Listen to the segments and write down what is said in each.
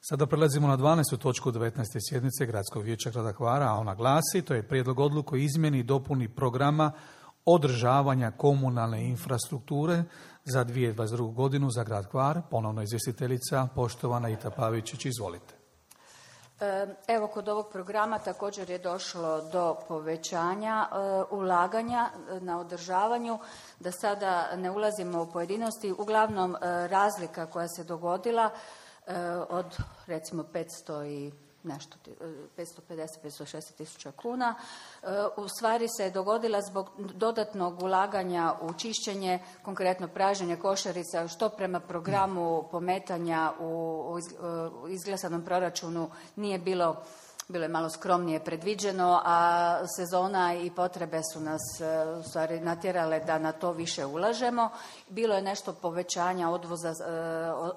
Sada prelazimo na 12. točku 19. sjednice Gradskog vijeća grada Hvara, a ona glasi, to je prijedlog odluke o izmjeni i dopuni programa održavanja komunalne infrastrukture za 2022. godinu za grad Hvar. Ponovno izvjestiteljica, poštovana Ita Pavičić, izvolite. Evo, kod ovog programa također je došlo do povećanja ulaganja na održavanju, da sada ne ulazimo u pojedinosti. Uglavnom, razlika koja se dogodila od recimo 550, 560 tisuća kuna, u stvari se dogodila zbog dodatnog ulaganja u čišćenje, konkretno pražnjenje košarica, što prema programu pometanja u izglasanom proračunu nije bilo je malo skromnije predviđeno, a sezona i potrebe su nas u stvari natjerale da na to više ulažemo. Bilo je nešto povećanja odvoza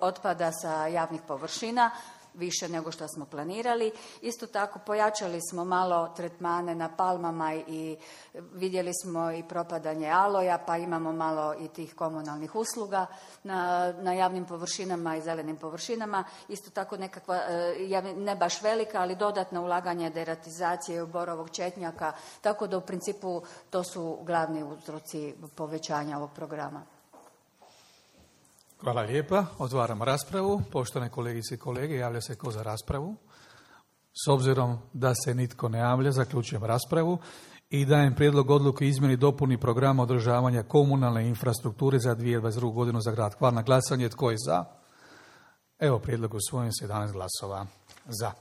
otpada sa javnih površina, više nego što smo planirali. Isto tako pojačali smo malo tretmane na palmama i vidjeli smo i propadanje aloja, pa imamo malo i tih komunalnih usluga na javnim površinama i zelenim površinama. Isto tako nekakva, ne baš velika, ali dodatna ulaganja deratizacije borovog četnjaka, tako da u principu to su glavni uzroci povećanja ovog programa. Hvala lijepa. Otvaram raspravu. Poštovane kolegice i kolege, javlja se tko za raspravu? S obzirom da se nitko ne javlja, zaključujem raspravu i dajem prijedlog odluke o izmjeni i dopuni programa održavanja komunalne infrastrukture za 2022. godinu za grad Hvar. Na glasanje tko je za? Evo, prijedlog usvojen s 11 glasova za.